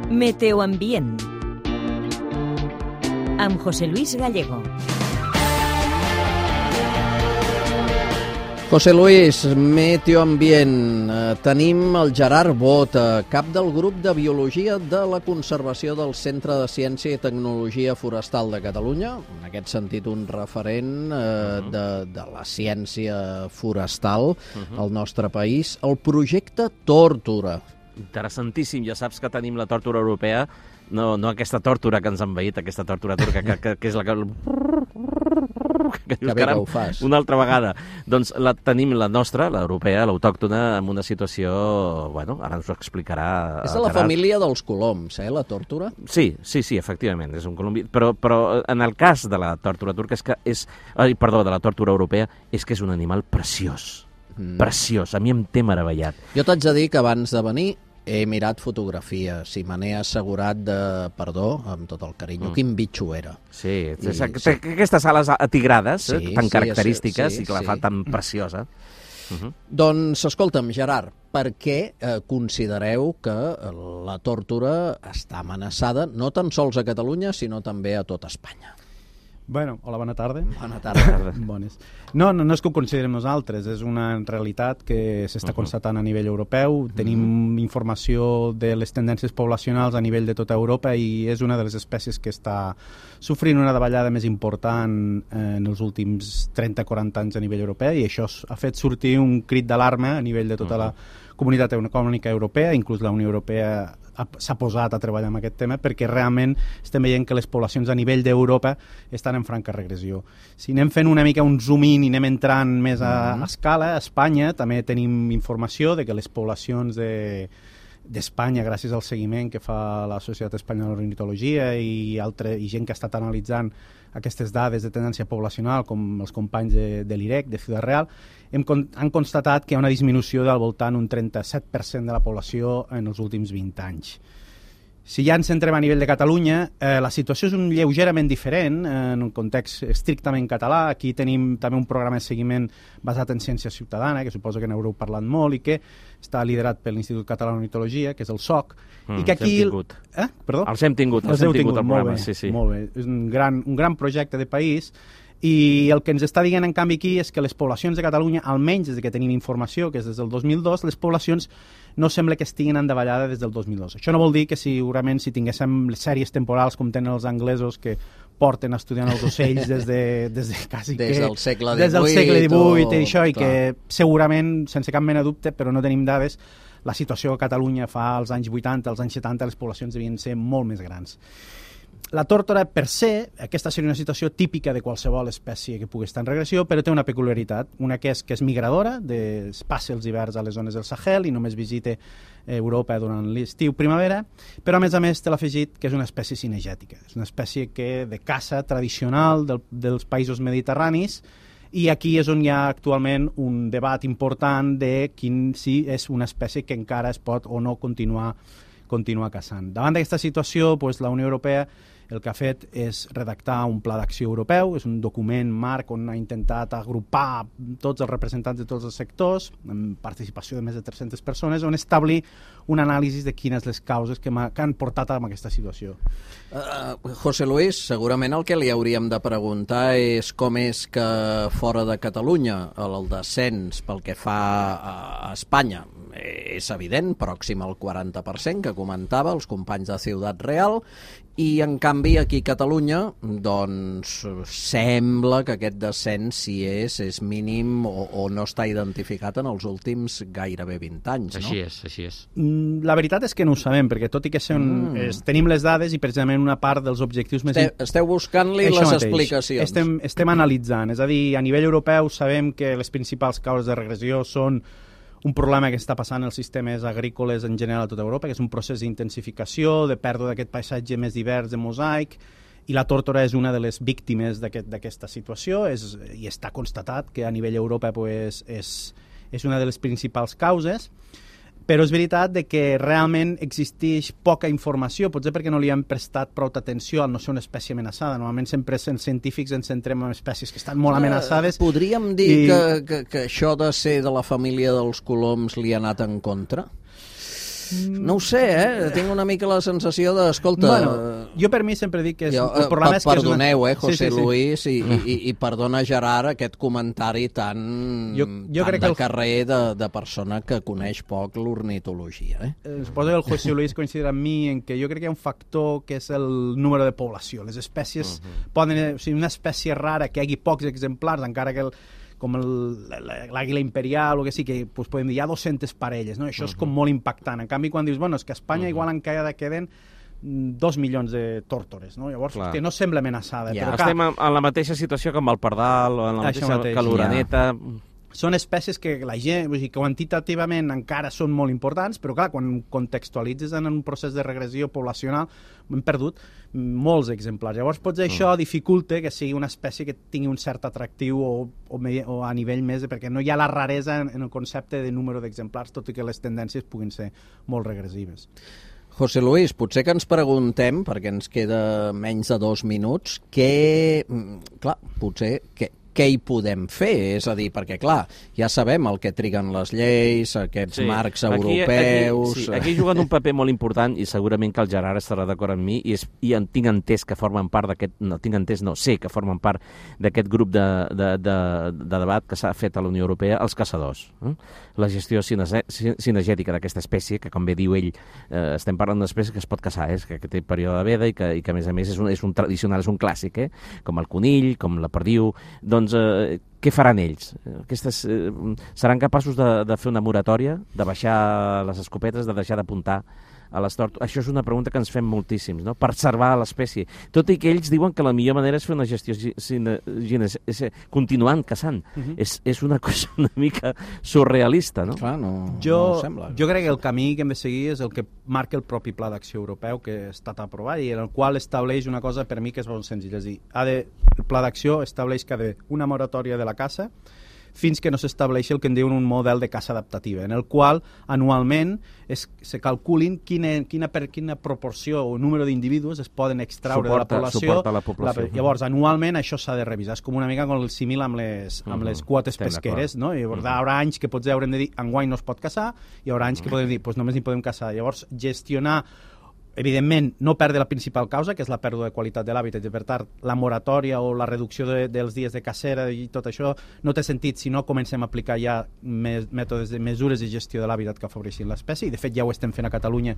Meteoambient amb José Luis Gallego. José Luis, Meteoambient. Tenim el Gerard Bota, cap del grup de Biologia de la Conservació del Centre de Ciència i Tecnologia Forestal de Catalunya. En aquest sentit, un referent de la ciència forestal al nostre país. El projecte Tórtora. Interessantíssim. Ja saps que tenim la tórtora europea, no aquesta tórtora que ens ha envaït, aquesta tórtora turca, que és la que bé que ho fas. Una altra vegada. Doncs tenim la nostra, l'europea, l'autòctona, en una situació, bueno, ara ens ho explicarà. És de la família dels coloms, la tórtora? Sí, efectivament, és un colombi. Però en el cas de la tórtora turca de la tórtora europea, és que és un animal preciós. Preciós, a mi em té meravellat. Jo t'haig de dir que abans de venir he mirat fotografies i me n'he assegurat amb tot el carinyo, quin bitxo era. Sí, aquestes ales atigrades, tan característiques, i que la fa tan preciosa. Doncs, escolta'm, Gerard, per què considereu que la tórtora està amenaçada no tan sols a Catalunya, sinó també a tot Espanya? Bueno, hola, bona tarda. Bona tarda. Bones. No és que ho considerem nosaltres, és una realitat que s'està constatant a nivell europeu. Tenim informació de les tendències poblacionals a nivell de tota Europa i és una de les espècies que està sofrint una davallada més important en els últims 30-40 anys a nivell europeu, i això ha fet sortir un crit d'alarma a nivell de tota la comunitat econòmica europea. Inclús la Unió Europea s'ha posat a treballar en aquest tema perquè realment estem veient que les poblacions a nivell d'Europa estan en franca regressió. Si anem fent una mica un zoom-in i anem entrant més a escala, a Espanya també tenim informació de que les poblacions d'Espanya, gràcies al seguiment que fa la Societat Espanyola d'Ornitologia i gent que ha estat analitzant aquestes dades de tendència poblacional, com els companys de l'IREC, de Ciudad Real, han constatat que hi ha una disminució del voltant un 37% de la població en els últims 20 anys. Si ja ens centrem a nivell de Catalunya, la situació és lleugerament diferent, en un context estrictament català. Aquí tenim també un programa de seguiment basat en ciència ciutadana, que suposo que n'haureu parlat molt, i que està liderat per l'Institut Català d'Ornitologia, que és el SOC. I que aquí... Els hem tingut al programa. Sí. Molt bé. És un gran projecte de país, i el que ens està dient en canvi aquí és que les poblacions de Catalunya, almenys des que tenim informació, que és des del 2002, les poblacions no sembla que estiguin en davallada des del 2002. Això no vol dir que segurament si tinguéssim les sèries temporals com tenen els anglesos, que porten estudiant els ocells des del segle XVIII i això, i que segurament, sense cap mena de dubte, però no tenim dades, la situació a Catalunya fa als anys 80, als anys 70, les poblacions devien ser molt més grans. La tórtora, per se, aquesta seria una situació típica de qualsevol espècie que pugui estar en regressió, però té una peculiaritat, una que és migradora, passa els hiverns a les zones del Sahel i només visita Europa durant l'estiu-primavera, però a més té l'afegit que és una espècie cinegètica, és una espècie de caça tradicional dels països mediterranis, i aquí és on hi ha actualment un debat important de si és una espècie que encara es pot o no continuar caçant. Davant d'aquesta situació, la Unió Europea el que ha fet és redactar un pla d'acció europeu, és un document marc on ha intentat agrupar tots els representants de tots els sectors, amb participació de més de 300 persones, on establir un anàlisi de quines les causes que han portat a aquesta situació. José Luis, segurament el que li hauríem de preguntar és com és que fora de Catalunya el descens pel que fa a Espanya és evident, pròxim al 40%, que comentava els companys de Ciudad Real, i en canvi aquí a Catalunya doncs sembla que aquest descens, si és mínim o no està identificat en els últims gairebé 20 anys, no? Així és. La veritat és que no ho sabem, perquè tot i que tenim les dades i precisament una part dels objectius més... Esteu buscant-li les explicacions. Estem analitzant, és a dir, a nivell europeu sabem que les principals causes de regressió són un problema que està passant als sistemes agrícoles en general a tota Europa, que és un procés d'intensificació, de pèrdua d'aquest paisatge més divers de mosaic, i la tórtora és una de les víctimes d'aquesta situació, i està constatat que a nivell Europa és una de les principals causes. Però és veritat que realment existeix poca informació, potser perquè no li han prestat prou atenció al no ser una espècie amenaçada. Normalment sempre els científics ens centrem en espècies que estan molt amenaçades. Podríem dir que això de ser de la família dels coloms li ha anat en contra? No ho sé, tinc una mica la sensació de, escolta... Bueno, jo per mi sempre dic que el problema és que perdoneu, José Sí. Luis, i perdona, Gerard, aquest comentari tan crec de que carrer de persona que coneix poc l'ornitologia. Suposo que el José Luis coincidirà amb mi en que jo crec que hi ha un factor que és el número de població. Les espècies poden... O sigui, una espècie rara que hi hagi pocs exemplars, encara que com l'àguila imperial o que sí, que doncs, podem dir, hi ha 200 parelles, no? Això és com molt impactant. En canvi, quan dius, bueno, és que a Espanya igual encara queden 2 milions de tórtores, no? Llavors, que no sembla amenaçada. Ja. Però, Estem en la mateixa situació com el pardal o en la mateixa que l'oreneta... Són espècies que la gent, vull dir, quantitativament encara són molt importants, però clar, quan contextualitzes en un procés de regressió poblacional hem perdut molts exemplars. Llavors potser això dificulta que sigui una espècie que tingui un cert atractiu o a nivell més, perquè no hi ha la raresa en el concepte de número d'exemplars, tot i que les tendències puguin ser molt regressives. José Luis, potser que ens preguntem, perquè ens queda menys de 2 minuts, què hi podem fer? És a dir, perquè, clar, ja sabem el que triguen les lleis, aquests marcs europeus... Aquí juguen un paper molt important i segurament que el Gerard estarà d'acord amb mi i tinc entès que formen part d'aquest... sé que formen part d'aquest grup de debat que s'ha fet a la Unió Europea, els caçadors. La gestió cinegètica d'aquesta espècie, que com bé diu ell, estem parlant d'una espècie que es pot caçar, que té període de veda i que a més a més és un tradicional, és un clàssic, com el conill, com la perdiu... Doncs què faran ells? Seran capaços de fer una moratòria, de baixar les escopetes, de deixar d'apuntar a les tortugues? Això és una pregunta que ens fem moltíssims, no? Preservar l'espècie. Tot i que ells diuen que la millor manera és fer una gestió continuant caçant. És una cosa una mica surrealista, no? Clar, no sembla. Jo crec que el camí que hem de seguir és el que marca el propi Pla d'Acció Europeu que ha estat aprovat i en el qual estableix una cosa per mi que és molt senzilla. És a dir, el Pla d'Acció estableix que ha d'haver una moratòria de la caça fins que no s'estableixi el que en diuen un model de caça adaptativa, en el qual anualment se calculin quina proporció o número d'individus es poden extraure de la població. La població. Llavors, anualment això s'ha de revisar. És com una mica com el símil amb les quotes pesqueres, no? I llavors, hi haurà anys que potser haurem de dir enguany no es pot caçar, i hi haurà anys que podem dir només hi podem caçar. Llavors, gestionar evidentment, no perdre la principal causa, que és la pèrdua de qualitat de l'hàbitat, i per tant, la moratòria o la reducció dels dies de cacera i tot això no té sentit si no comencem a aplicar ja mètodes de mesures de gestió de l'hàbitat que afavoreixin l'espècie, i de fet ja ho estem fent a Catalunya,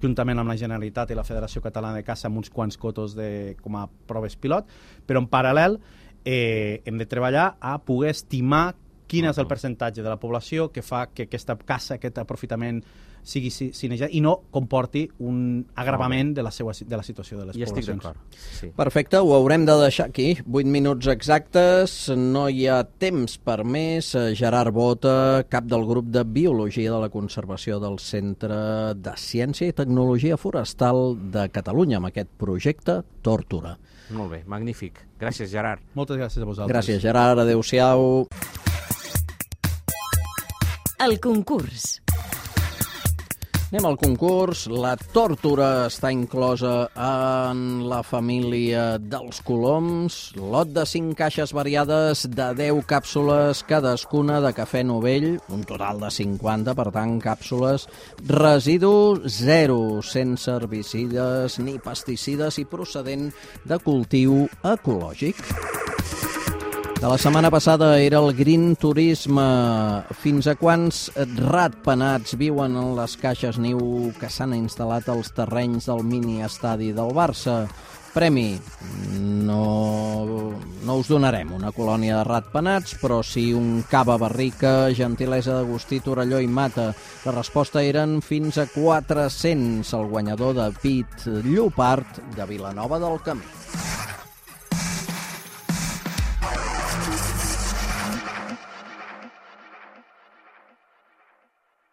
juntament amb la Generalitat i la Federació Catalana de Caça, amb uns quants cotos com a proves pilot, però en paral·lel hem de treballar a poder estimar quin és el percentatge de la població que fa que aquesta caça, aquest aprofitament sigui cinejat i no comporti un agravament de la situació de les poblacions. Estic d'acord. Sí. Perfecte, ho haurem de deixar aquí. 8 minuts exactes, no hi ha temps per més. Gerard Bota, cap del grup de Biologia de la Conservació del Centre de Ciència i Tecnologia Forestal de Catalunya, amb aquest projecte Tórtora. Molt bé, magnífic. Gràcies, Gerard. Moltes gràcies a vosaltres. Gràcies, Gerard. Adéu-siau. El concurs. Anem al concurs. La tórtora està inclosa en la família dels coloms. Lot de 5 caixes variades de 10 càpsules cadascuna de cafè novell, un total de 50, per tant, càpsules. Residu 0, sense herbicides ni pesticides i procedent de cultiu ecològic. De la setmana passada era el Green Turisme. Fins a quants ratpenats viuen en les caixes niu que s'han instal·lat als terrenys del mini-estadi del Barça? Premi. No us donarem una colònia de ratpenats, però sí un cava barrica, gentilesa d'Agustí Torelló i Mata. La resposta eren fins a 400, el guanyador de Pit Llopart de Vilanova del Camí.